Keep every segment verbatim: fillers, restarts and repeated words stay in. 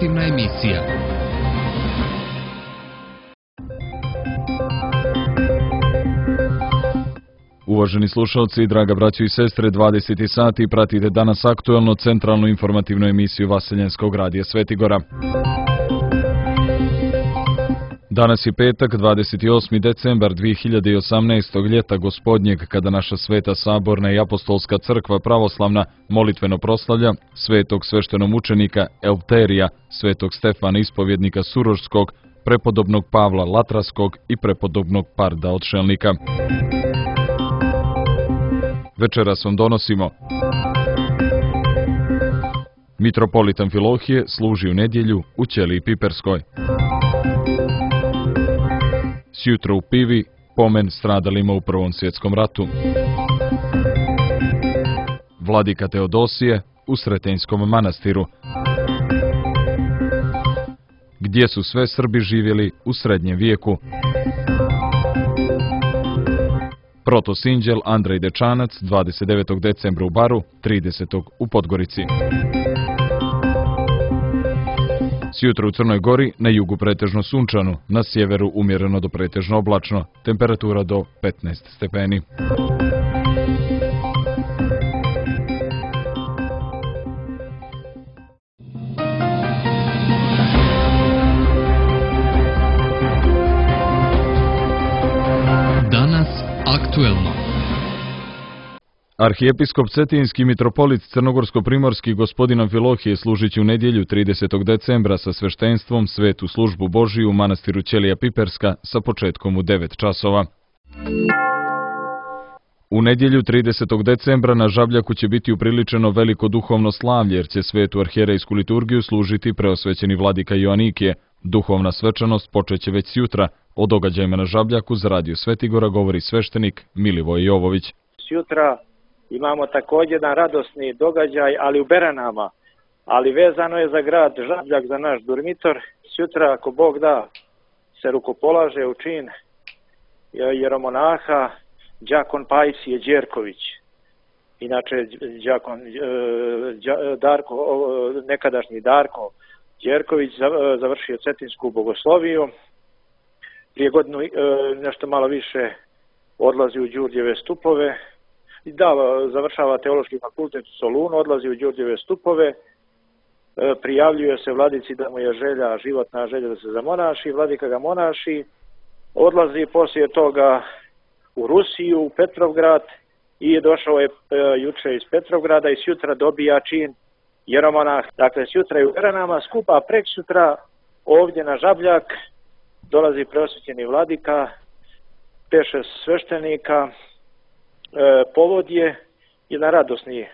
informativna emisija. Uvaženi slušalci, draga braćo i sestre, dvadeseti sati pratite danas aktuelno centralnu informativnu emisiju Vaseljenskog radija Svetigora. Danas je petak, dvadeset osmi decembar dve hiljade osamnaestog. ljeta gospodnjeg, kada naša sveta saborna i apostolska crkva pravoslavna molitveno proslavlja svetog sveštenomučenika Eleuterija, svetog Stefana ispovjednika Surošskog, prepodobnog Pavla Latraskog i prepodobnog Parda Odšelnika. Večeras vam donosimo: mitropolit Amfilohije služi u nedjelju u Ćeliji Piperskoj. Sjutra u Pivi pomen stradalima u Prvom svjetskom ratu. Vladika Teodosije u Sretenjskom manastiru. Gdje su sve Srbi živjeli u srednjem vijeku. Protosinđel Andrej Dečanac dvadeset devetog decembra u Baru, tridesetog u Podgorici. Sjutra u Crnoj Gori, na jugu pretežno sunčano, na sjeveru umjereno do pretežno oblačno, temperatura do petnaest stepeni. Danas aktuelno. Arhijepiskop Cetinski mitropolit Crnogorsko-primorski gospodin Amfilohije služit će u nedjelju tridesetog decembra sa sveštenstvom svetu službu Božiju u manastiru Ćelija Piperska sa početkom u devet časova. U nedjelju tridesetog decembra na Žabljaku će biti upriličeno veliko duhovno slavlje, jer će svetu arhijerejsku liturgiju služiti preosvećeni vladika Joanikije. Duhovna svečanost počeće već sjutra. O događajima na Žabljaku za Radio Svetigora govori sveštenik Milivoj Jovović. Sjutra imamo također jedan radosni događaj, ali u Beranama, ali vezano je za grad Žabljak, za naš dormitor. Sjutra, ako Bog da, se rukopolaže u čin jeromonaha đakon Pajsije Đerković. Inače, đakon Darko, nekadašnji Darko Đerković završio Cetinsku bogosloviju. Prije godinu nešto malo više odlazi u Đurđeve stupove. Da, završava teološki fakultet u Solunu, odlazi u Đurđeve stupove, prijavljuje se vladici da mu je želja, životna želja da se zamonaši, vladika ga monaši, odlazi poslije toga u Rusiju, u Petrovgrad i došao je juče iz Petrovgrada i sjutra dobija čin jeromonah. Dakle, sjutra je u Beranama skupa, a preksutra ovdje na Žabljak dolazi preosvećeni vladika, peše sveštenika. E, povod je jedan radosni.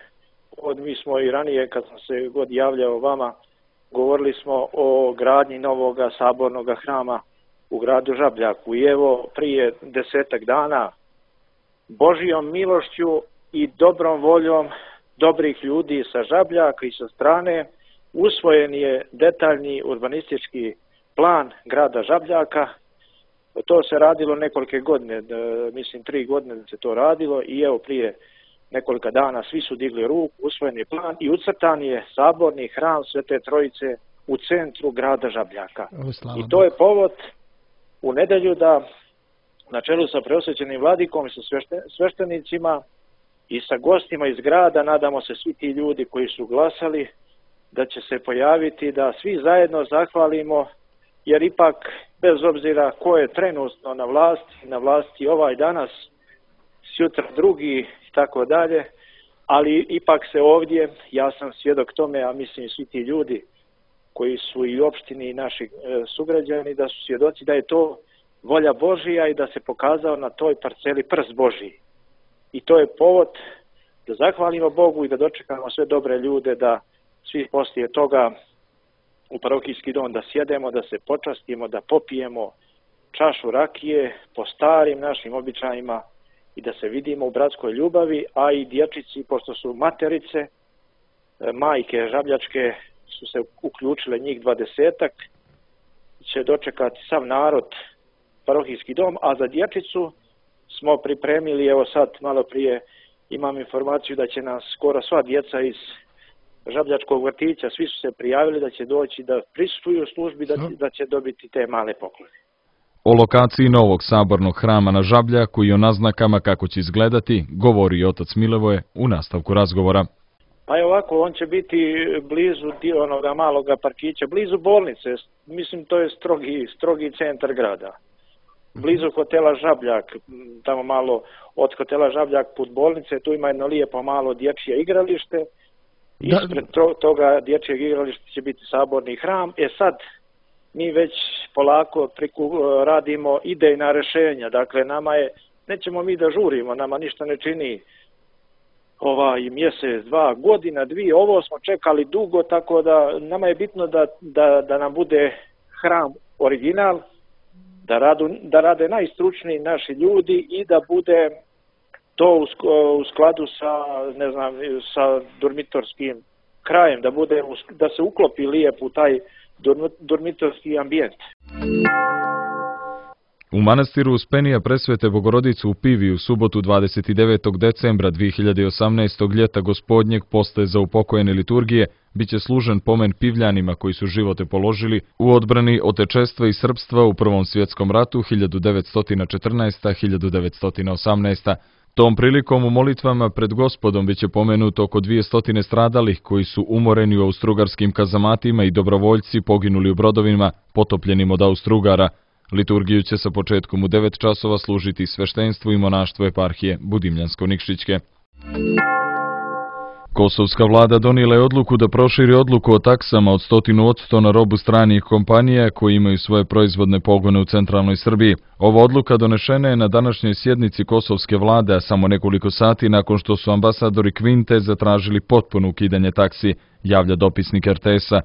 Od, mi smo i ranije, kad sam se god javljao vama, govorili smo o gradnji novog sabornog hrama u gradu Žabljaku. I evo, prije desetak dana, Božijom milošću i dobrom voljom dobrih ljudi sa Žabljaka i sa strane, usvojen je detaljni urbanistički plan grada Žabljaka. To se radilo nekolike godine, mislim tri godine da se to radilo i evo prije nekoliko dana svi su digli ruku, usvojen je plan i ucrtan je saborni hram Svete Trojice u centru grada Žabljaka. I to je povod u nedjelju da na čelu sa preosvećenim vladikom i sa sveštenicima i sa gostima iz grada, nadamo se svi ti ljudi koji su glasali, da će se pojaviti, da svi zajedno zahvalimo, jer ipak bez obzira ko je trenutno na vlasti, na vlasti ovaj danas, sutra drugi i tako dalje, ali ipak se ovdje, ja sam svjedok tome, a mislim svi ti ljudi koji su i u opštini i naši e, sugrađani, da su svjedoci da je to volja Božija i da se pokazao na toj parceli prst Božiji. I to je povod da zahvalimo Bogu i da dočekamo sve dobre ljude, da svi poslije toga u parohijski dom da sjedemo, da se počastimo, da popijemo čašu rakije po starim našim običajima i da se vidimo u bratskoj ljubavi, a i dječici, pošto su materice, majke žabljačke su se uključile njih dvadesetak, će dočekati sav narod parohijski dom, a za dječicu smo pripremili, evo sad malo prije imam informaciju da će nas skoro sva djeca iz Žabljačkog vrtića, svi su se prijavili da će doći da prisustvuju službi, da, da će dobiti te male poklone. O lokaciji novog sabornog hrama na Žabljaku i o naznakama kako će izgledati, govori otac Milivoje u nastavku razgovora. Pa je ovako, on će biti blizu onoga maloga parkića, blizu bolnice, mislim to je strogi, strogi centar grada. Blizu hotela Žabljak, tamo malo od hotela Žabljak put bolnice, tu ima jedno lijepo malo dječje igralište. Ispred toga dječjeg igrališta će biti saborni hram. E sad, mi već polako priku, radimo idejna rješenja. Dakle, nama je, nećemo mi da žurimo, nama ništa ne čini ovaj mjesec, dva, godina, dvije, ovo smo čekali dugo, tako da nama je bitno da, da, da nam bude hram original, da, radu, da rade najstručniji naši ljudi i da bude to u, u skladu sa, ne znam, sa dormitorskim krajem, da bude, da se uklopi lijepo u taj dormitorski ambijent. U manastiru Uspenija Presvete Bogorodice u Pivi u subotu dvadeset devetog decembra dvije hiljade osamnaestog ljeta gospodnjeg postaje za upokojene liturgije biće služen pomen Pivljanima koji su živote položili u odbrani otečestva i srpstva u Prvom svjetskom ratu hiljadu devetsto četrnaesta do hiljadu devetsto osamnaesta. Tom prilikom u molitvama pred Gospodom biće pomenuto oko dvjesto stradalih koji su umoreni u austrougarskim kazamatima i dobrovoljci poginuli u brodovima potopljenim od Austrougar. Liturgiju će sa početkom u devet časova služiti sveštenstvo i monaštvo eparhije Budimljansko-Nikšićke. Kosovska vlada donijela je odluku da proširi odluku o taksama od stotinu odsto na robu stranih kompanija koji imaju svoje proizvodne pogone u centralnoj Srbiji. Ova odluka donešena je na današnjoj sjednici kosovske vlade, a samo nekoliko sati nakon što su ambasadori Kvinte zatražili potpuno ukidanje taksi, javlja dopisnik er te es-a.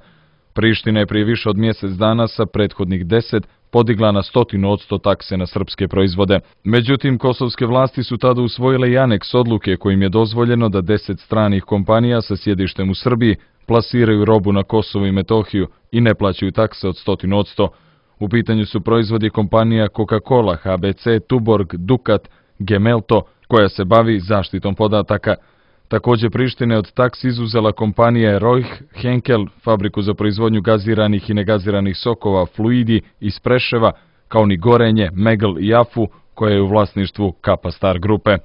Priština je prije više od mjesec dana sa prethodnih deset podigla na stotinu odsto takse na srpske proizvode. Međutim, kosovske vlasti su tada usvojile i aneks odluke kojim je dozvoljeno da deset stranih kompanija sa sjedištem u Srbiji plasiraju robu na Kosovo i Metohiju i ne plaćaju takse od stotinu odsto. U pitanju su proizvodi kompanija Coca-Cola, ha be ce, Tuborg, Dukat, Gemelto, koja se bavi zaštitom podataka. Također Priština je od taksi izuzela kompanije Rojh, Henkel, fabriku za proizvodnju gaziranih i negaziranih sokova, Fluidi iz Preševa, kao ni Gorenje, Megl i Afu, koja je u vlasništvu Kapa Star grupe.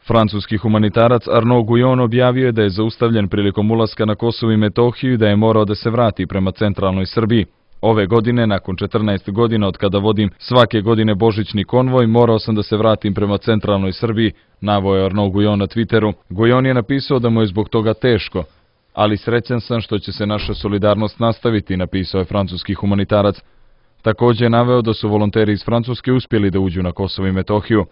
Francuski humanitarac Arnaud Guyon objavio je da je zaustavljen prilikom ulaska na Kosovo i Metohiju i da je morao da se vrati prema centralnoj Srbiji. Ove godine, nakon četrnaest godina od kada vodim svake godine božićni konvoj, morao sam da se vratim prema centralnoj Srbiji, naveo je Arnaud Guyon na Twitteru. Guyon je napisao da mu je zbog toga teško, ali srećan sam što će se naša solidarnost nastaviti, napisao je francuski humanitarac. Također je naveo da su volonteri iz Francuske uspjeli da uđu na Kosovo i Metohiju.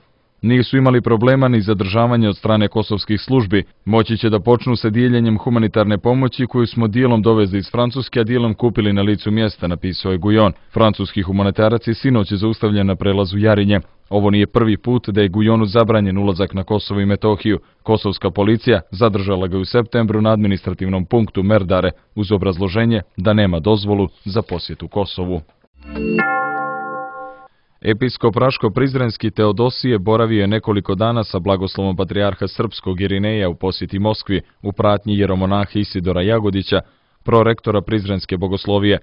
Nisu imali problema ni zadržavanje od strane kosovskih službi. Moći će da počnu sa dijeljenjem humanitarne pomoći koju smo dijelom dovezli iz Francuske, a dijelom kupili na licu mjesta, napisao je Guyon. Francuski humanitarac je sinoć zaustavljen na prelazu Jarinje. Ovo nije prvi put da je Guyonu zabranjen ulazak na Kosovo i Metohiju. Kosovska policija zadržala ga u septembru na administrativnom punktu Merdare uz obrazloženje da nema dozvolu za posjetu Kosovu. Episkop Raško-Prizrenski Teodosije boravio je nekoliko dana sa blagoslovom patrijarha srpskog Irineja u posjeti Moskvi u pratnji jeromonaha Isidora Jagodića, prorektora Prizrenske bogoslovije.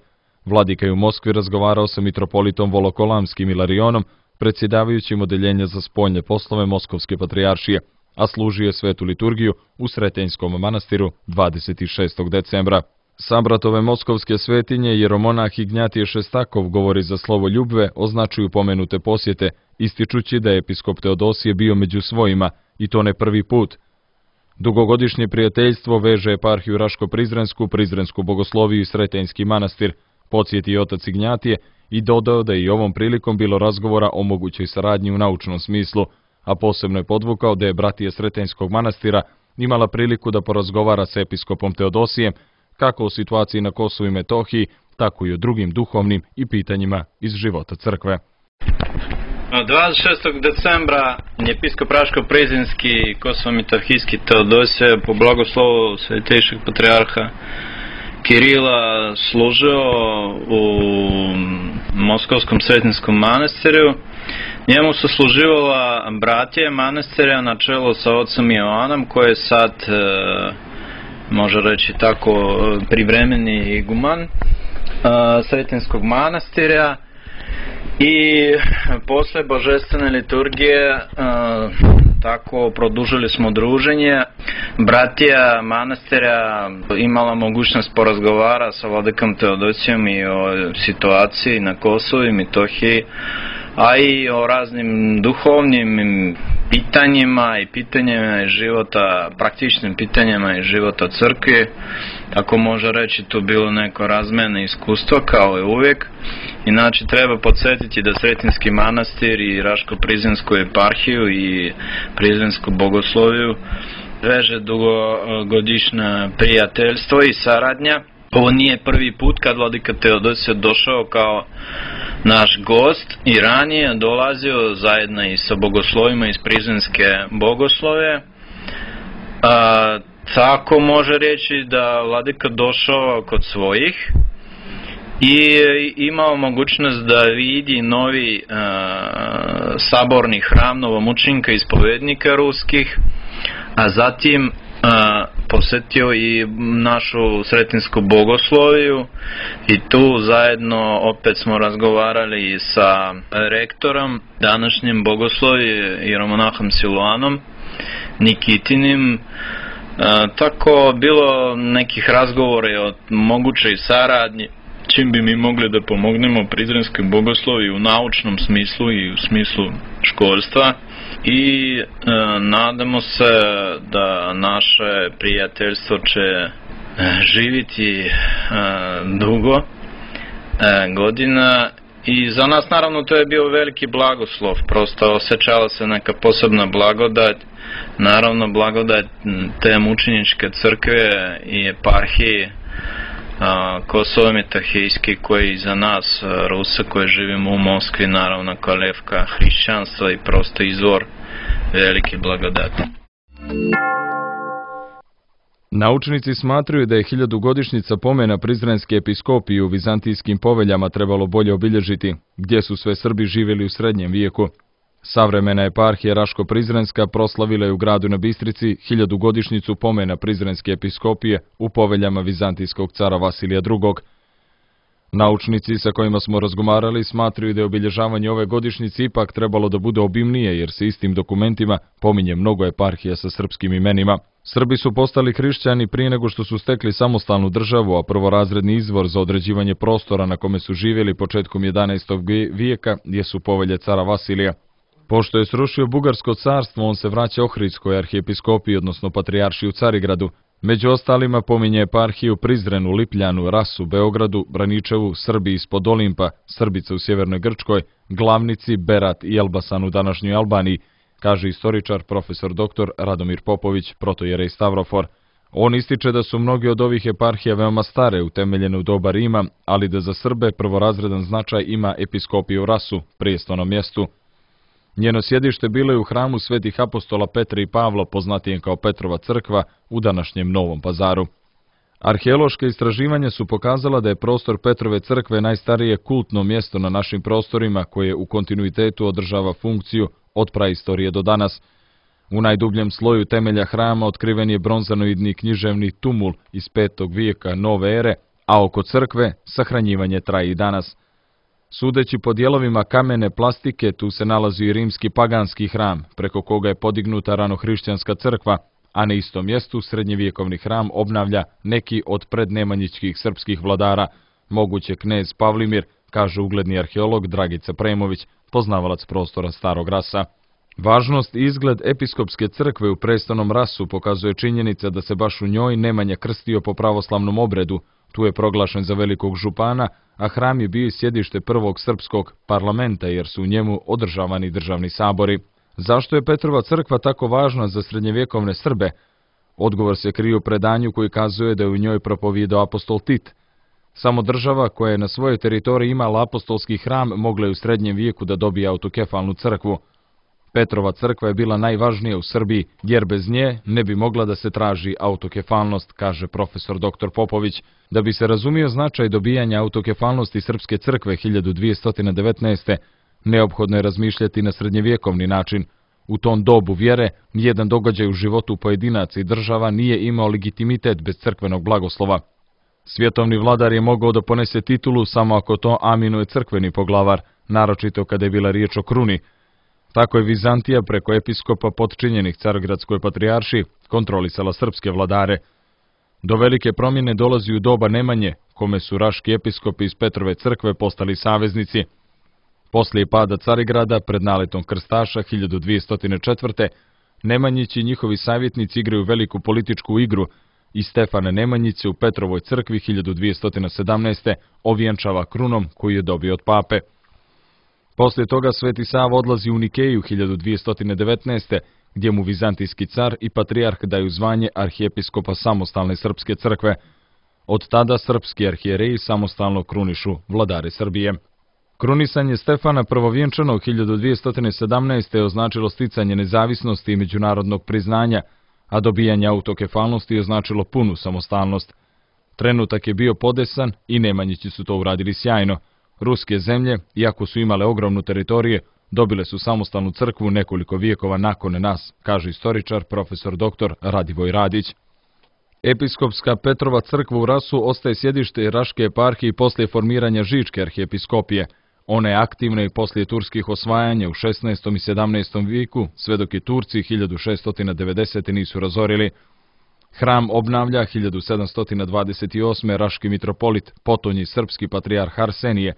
Vladika je u Moskvi razgovarao sa mitropolitom Volokolamskim Ilarionom, predsjedavajućim odeljenja za spoljne poslove Moskovske patrijaršije, a služio je svetu liturgiju u Sretenjskom manastiru dvadeset šestog decembra. Sabratove moskovske svetinje jeromonah Ignjatije Šestakov govori za slovo ljubve, označuju pomenute posjete, ističući da je episkop Teodosije bio među svojima, i to ne prvi put. Dugogodišnje prijateljstvo veže eparhiju Raško-Prizrensku, Prizrensku bogosloviju i Sretenjski manastir, podsjetio otac Ignjatije i dodao da je i ovom prilikom bilo razgovora o mogućoj saradnji u naučnom smislu, a posebno je podvukao da je bratija Sretenjskog manastira imala priliku da porazgovara s episkopom Teodosijem, kako o situaciji na Kosovu i Metohiji, tako i o drugim duhovnim i pitanjima iz života crkve. dvadeset šestog decembra episkop Raško-Prizrenski Kosovo-Metohijski Teodosije po blagoslovu svetejšeg patrijarha Kirila služio u Moskovskom Sretinskom manastiru. Njemu su služivala bratije manastira na čelu sa ocem Joanom, koji je sad može reći tako, privremeni iguman Sretenskog manastira. I posle božestvene liturgije tako produžili smo druženje. Bratija manastira imala mogućnost porazgovara sa vladikom Teodosijom i o situaciji na Kosovu i Metohiji, a i o raznim duhovnim pitanjima i pitanjima iz života, praktičnim pitanjima iz života crkve. Ako može reći, tu bilo neko razmjene iskustvo kao i uvijek. Inače, treba podsjetiti da Sretenski manastir i Raško-Prizrensku eparhiju i Prizrensku bogosloviju veže dugogodišnje prijateljstvo i saradnja. Ovo nije prvi put kad vladika Teodosije došao kao naš gost i ranije dolazio zajedno i sa bogoslovima iz Prizrenske bogoslove. A, tako može reći da vladika došao kod svojih i imao mogućnost da vidi novi uh, saborni hram novomučenika ispovednika ruskih, a zatim uh, posjetio i našu Sretensku bogosloviju i tu zajedno opet smo razgovarali sa rektorom današnjim bogoslovi jeromonahom Siluanom Nikitinim. Uh, tako bilo nekih razgovora o mogućoj saradnji, čim bi mi mogli da pomognemo Prizrenskoj bogoslovi u naučnom smislu i u smislu školstva. I e, nadamo se da naše prijateljstvo će e, živiti e, dugo e, godina. I za nas naravno to je bio veliki blagoslov, prosto osjećala se neka posebna blagodat, naravno blagodat te mučeničke crkve i eparhije Kosovo Metohijski, koji za nas Rusa koji živimo u Moskvi, naravno kolevka hrišćanstva i prosto izvor velike blagodati. Naučnici smatraju da je hiljadugodišnjica pomena Prizrenske episkopije u vizantijskim poveljama trebalo bolje obilježiti, gdje su sve Srbi živjeli u srednjem vijeku. Savremena eparhija Raško-Prizrenska proslavila je u gradu na Bistrici hiljadugodišnjicu pomena Prizrenske episkopije u poveljama vizantijskog cara Vasilija drugog. Naučnici sa kojima smo razgovarali smatruju da je obilježavanje ove godišnjice ipak trebalo da bude obimnije, jer se istim dokumentima pominje mnogo eparhija sa srpskim imenima. Srbi su postali hrišćani prije nego što su stekli samostalnu državu, a prvorazredni izvor za određivanje prostora na kome su živjeli početkom jedanaestog vijeka jesu povelje cara Vasilija. Pošto je srušio Bugarsko carstvo, on se vraća Ohridskoj arhijepiskopiji, odnosno patrijaršiji u Carigradu. Među ostalima pominje eparhiju Prizrenu, Lipljanu, Rasu, Beogradu, Braničevu, Srbiji ispod Olimpa, Srbica u sjevernoj Grčkoj, Glavnici, Berat i Elbasan u današnjoj Albaniji, kaže istoričar profesor doktor Radomir Popović, protojerej Stavrofor. On ističe da su mnogi od ovih eparhija veoma stare, utemeljene u doba Rima, ali da za Srbe prvorazredan značaj ima episkopija u Rasu, prijestolnom mjestu. Njeno sjedište bilo je u hramu svetih apostola Petra i Pavla, poznatijem kao Petrova crkva, u današnjem Novom Pazaru. Arheološke istraživanja su pokazala da je prostor Petrove crkve najstarije kultno mjesto na našim prostorima koje u kontinuitetu održava funkciju od praistorije do danas. U najdubljem sloju temelja hrama otkriven je bronzanoidni književni tumul iz petog vijeka nove ere, a oko crkve sahranjivanje traje i danas. Sudeći po dijelovima kamene plastike, tu se nalazi i rimski paganski hram, preko koga je podignuta ranohrišćanska crkva, a na istom mjestu srednjevjekovni hram obnavlja neki od prednemanjičkih srpskih vladara, moguće knez Pavlimir, kaže ugledni arheolog Dragica Premović, poznavalac prostora Starog Rasa. Važnost i izgled episkopske crkve u prestolnom Rasu pokazuje činjenica da se baš u njoj Nemanja krstio po pravoslavnom obredu. Tu je proglašen za velikog župana, a hram je bio i sjedište prvog srpskog parlamenta jer su u njemu održavani državni sabori. Zašto je Petrova crkva tako važna za srednjevjekovne Srbe? Odgovor se krije u predanju koji kazuje da je u njoj propovijedao apostol Tit. Samo država koja je na svojoj teritoriji imala apostolski hram mogla je u srednjem vijeku da dobije autokefalnu crkvu. Petrova crkva je bila najvažnija u Srbiji, jer bez nje ne bi mogla da se traži autokefalnost, kaže profesor doktor Popović. Da bi se razumio značaj dobijanja autokefalnosti Srpske crkve hiljadu dvjesto devetnaeste. neophodno je razmišljati na srednjevjekovni način. U tom dobu vjere, nijedan događaj u životu pojedinaca i država nije imao legitimitet bez crkvenog blagoslova. Svjetovni vladar je mogao da ponese titulu samo ako to aminuje crkveni poglavar, naročito kada je bila riječ o kruni. Tako je Vizantija preko episkopa potčinjenih Carogradskoj patrijaršiji kontrolisala srpske vladare. Do velike promjene dolazi u doba Nemanje, kome su raški episkopi iz Petrove crkve postali saveznici. Poslije pada Carigrada pred naletom krstaša hiljadu dvjesto četvrte. Nemanjići i njihovi savjetnici igraju veliku političku igru i Stefana Nemanjić u Petrovoj crkvi hiljadu dvjesto sedamnaeste. ovjenčava krunom koju je dobio od pape. Poslije toga Sveti Sava odlazi u Nikeju hiljadu dvjesto devetnaeste. gdje mu vizantijski car i patrijarh daju zvanje arhijepiskopa samostalne srpske crkve. Od tada srpski arhijereji samostalno krunišu vladare Srbije. Krunisanje Stefana Prvovjenčanog hiljadu dvjesto sedamnaeste. označilo sticanje nezavisnosti i međunarodnog priznanja, a dobijanje autokefalnosti označilo punu samostalnost. Trenutak je bio podesan i Nemanjići su to uradili sjajno. Ruske zemlje, iako su imale ogromnu teritorije, dobile su samostalnu crkvu nekoliko vijekova nakon nas, kaže istoričar profesor doktor Radivoj Radić. Episkopska Petrova crkva u Rasu ostaje sjedište Raške eparhije poslije formiranja Žičke arhijepiskopije. Ona je aktivna i poslije turskih osvajanja u šesnaestom i sedamnaestom vijeku, sve dok je Turci hiljadu šeststo devedesete. nisu razorili. Hram obnavlja hiljadu sedamsto dvadeset osme. raški mitropolit, potonji srpski patrijarh Arsenije,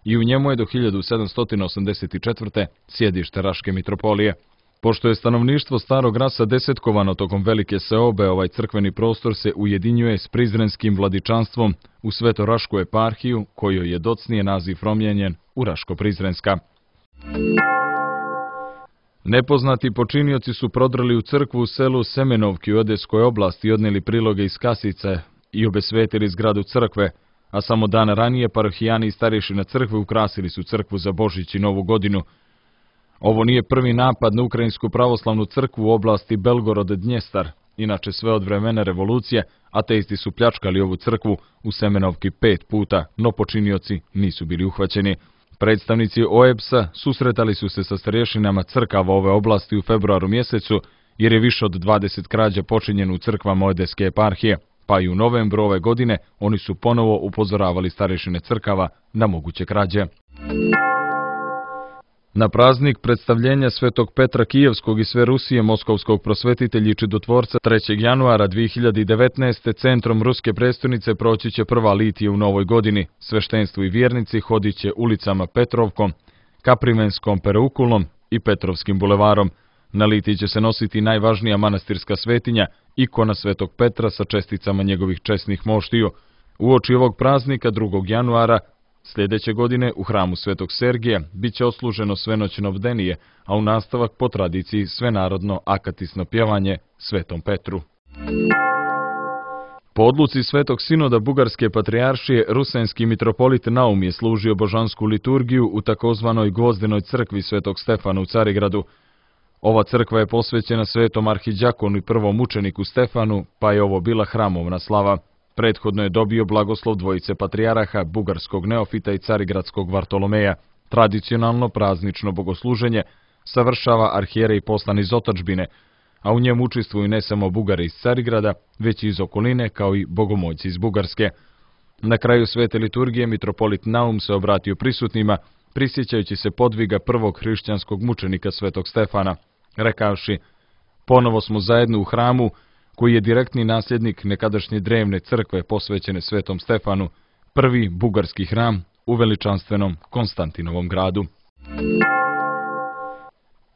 i u njemu je do hiljadu sedamsto osamdeset četvrte. sjedište Raške mitropolije. Pošto je stanovništvo Starog Rasa desetkovano tokom velike seobe, ovaj crkveni prostor se ujedinjuje s prizrenskim vladičanstvom u Svetorašku eparhiju, kojoj je docnije naziv promijenjen u Raško-Prizrenska. Nepoznati počinioci su prodrli u crkvu u selu Semenovki u Odeskoj oblasti i odnijeli priloge iz kasice i obesvetili zgradu crkve, a samo dan ranije parohijani i starješina crkve ukrasili su crkvu za Božić i Novu godinu. Ovo nije prvi napad na Ukrajinsku pravoslavnu crkvu u oblasti Belgorod-Dnjestar. Inače, sve od vremena revolucije, ateisti su pljačkali ovu crkvu u Semenovki pet puta, no počinioci nisu bili uhvaćeni. Predstavnici O E B S-a susretali su se sa starješinama crkava ove oblasti u februaru mjesecu, jer je više od dvadeset krađa počinjeno u crkvama Odeske eparhije, pa i u novembru ove godine oni su ponovo upozoravali starješine crkava na moguće krađe. Na praznik predstavljenja Svetog Petra Kijevskog i sve Rusije moskovskog prosvetitelja i čudotvorca trećeg januara dvije hiljade devetnaeste. centrom ruske prestonice proći će prva litija u novoj godini. Sveštenstvo i vjernici hodit će ulicama Petrovkom, Kaprimenskom pereukulom i Petrovskim bulevarom. Na litiji će se nositi najvažnija manastirska svetinja, ikona Svetog Petra sa česticama njegovih česnih moštiju. Uoči ovog praznika drugog januara sljedeće godine u hramu Svetog Sergija bit će osluženo svenoćno bdenije, a u nastavak po tradiciji svenarodno akatisno pjevanje Svetom Petru. Po odluci Svetog Sinoda Bugarske patrijaršije, rusenski mitropolit Naum je služio božansku liturgiju u takozvanoj Gvozdenoj crkvi Svetog Stefana u Carigradu. Ova crkva je posvećena Svetom arhidjakonu i prvom učeniku Stefanu, pa je ovo bila hramovna slava. Prethodno je dobio blagoslov dvojice patrijaraha, bugarskog neofita i carigradskog Vartolomeja. Tradicionalno praznično bogosluženje savršava arhijerej poslan iz otadžbine, a u njemu učestvuju ne samo Bugari iz Carigrada, već i iz okoline, kao i bogomolci iz Bugarske. Na kraju svete liturgije mitropolit Naum se obratio prisutnima, prisjećajući se podviga prvog hrišćanskog mučenika Svetog Stefana, rekavši: ponovo smo zajedno u hramu, koji je direktni nasljednik nekadašnje drevne crkve posvećene Svetom Stefanu, prvi bugarski hram u veličanstvenom Konstantinovom gradu.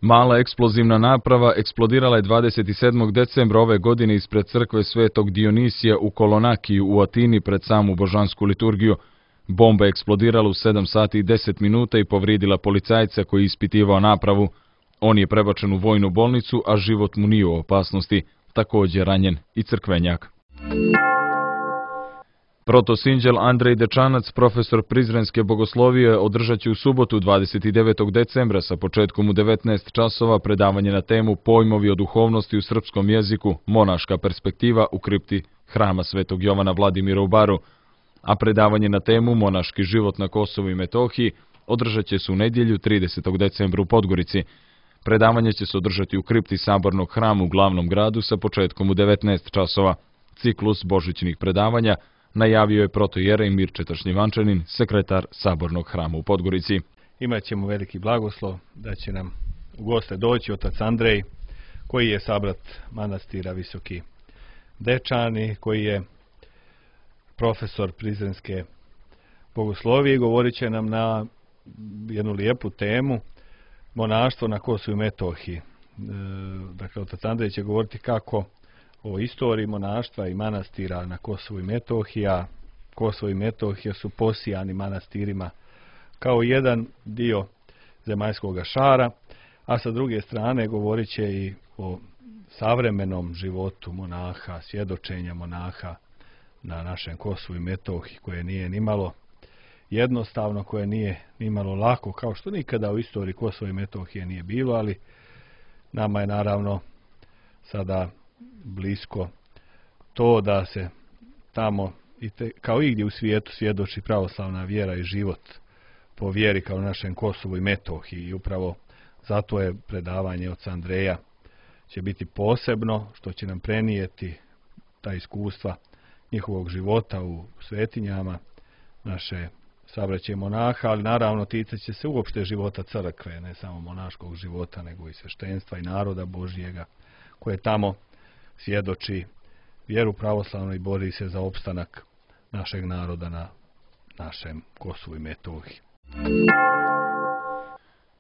Mala eksplozivna naprava eksplodirala je dvadeset sedmog decembra ove godine ispred crkve Svetog Dionisija u Kolonakiju u Atini pred samu božansku liturgiju. Bomba je eksplodirala u sedam sati i deset minuta i povrijedila policajca koji je ispitivao napravu. On je prebačen u vojnu bolnicu, a život mu nije u opasnosti. Također ranjen i crkvenjak. Protosinđel Andrej Dečanac, profesor prizrenske bogoslovije, održat će u subotu dvadeset devetog decembra sa početkom u devetnaest časova predavanje na temu Pojmovi o duhovnosti u srpskom jeziku, monaška perspektiva u kripti hrama Svetog Jovana Vladimira u Baru, a predavanje na temu Monaški život na Kosovu i Metohiji održat će se u nedjelju tridesetog decembra u Podgorici. Predavanje će se održati u kripti Sabornog hrama u glavnom gradu sa početkom u devetnaest časova. Ciklus božićnih predavanja najavio je protojerej Mirče Tršnjevančanin, sekretar Sabornog hrama u Podgorici. Imaćemo veliki blagoslov da će nam u goste doći otac Andrej, koji je sabrat manastira Visoki Dečani, koji je profesor Prizrenske bogoslovije i govorit će nam na jednu lijepu temu, monaštvo na Kosovu i Metohiji. E, dakle, otac Andrej će govoriti kako o istoriji monaštva i manastira na Kosovu i Metohiji, a Kosovo i Metohija su posijani manastirima kao jedan dio zemaljskog šara, a sa druge strane govorit će i o savremenom životu monaha, svjedočenja monaha na našem Kosovu i Metohiji, koje nije nimalo jednostavno, koje nije nimalo lako, kao što nikada u istoriji Kosova i Metohije nije bilo, ali nama je naravno sada blisko to da se tamo, i te, kao igdje u svijetu, svjedoči pravoslavna vjera i život po vjeri kao našem Kosovu i Metohiji. I upravo zato je predavanje oca Andreja će biti posebno, što će nam prenijeti ta iskustva njihovog života u svetinjama naše sabraće monaha, ali naravno ticat će se uopšte života crkve, ne samo monaškog života, nego i sveštenstva i naroda Božjega, koje tamo svjedoči vjeru pravoslavnu i bori se za opstanak našeg naroda na našem Kosovu i Metohiji.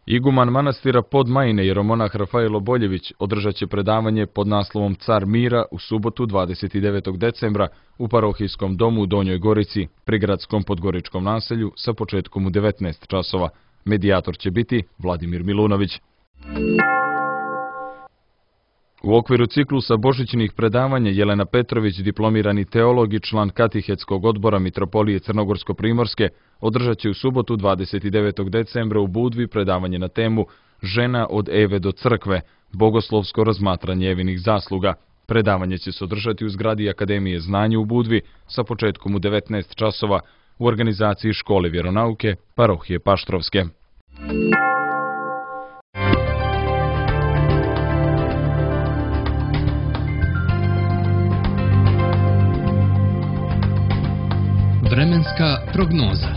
Iguman manastira Podmajine, jeromonah Rafaelo Boljević, održat će predavanje pod naslovom Car mira u subotu dvadeset devetog decembra u parohijskom domu u Donjoj Gorici, prigradskom podgoričkom naselju, sa početkom u devetnaest časova. Medijator će biti Vladimir Milunović. U okviru ciklusa božićnih predavanja Jelena Petrović, diplomirani teolog i član Katihetskog odbora Mitropolije Crnogorsko-Primorske, održat će u subotu dvadeset devetog decembra u Budvi predavanje na temu Žena od Eve do crkve, bogoslovsko razmatranje Evinih zasluga. Predavanje će se održati u zgradi Akademije znanja u Budvi sa početkom u devetnaest časova u organizaciji Škole vjeronauke parohije Paštrovske. Vremenska prognoza.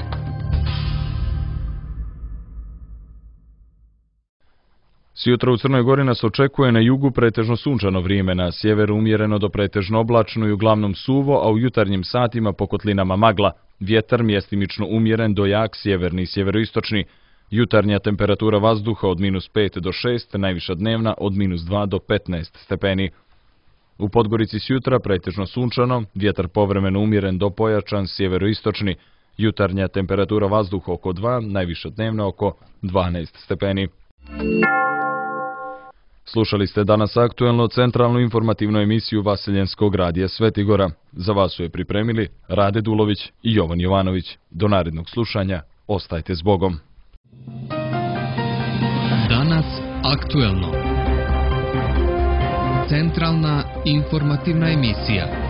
Sjutra u Crnoj Gori nas očekuje na jugu pretežno sunčano vrijeme, na sjeveru umjereno do pretežno oblačno i uglavnom suvo, a u jutarnjim satima po kotlinama magla. Vjetar mjestimično umjeren do jak sjeverni i sjeveroistočni. Jutarnja temperatura vazduha od minus pet do šest, najviša dnevna od minus dva do petnaest stepeni. U Podgorici sjutra pretežno sunčano, vjetar povremeno umjeren do pojačan sjeveroistočni. Jutarnja temperatura vazduha oko dva, najviša dnevna oko dvanaest stepeni. Slušali ste danas aktuelno centralnu informativnu emisiju Vaseljenskog radija Svetigora. Za vas su je pripremili Rade Dulović i Jovan Jovanović. Do narednog slušanja, ostajte s Bogom. Danas aktuelno. Centralna informativna emisija.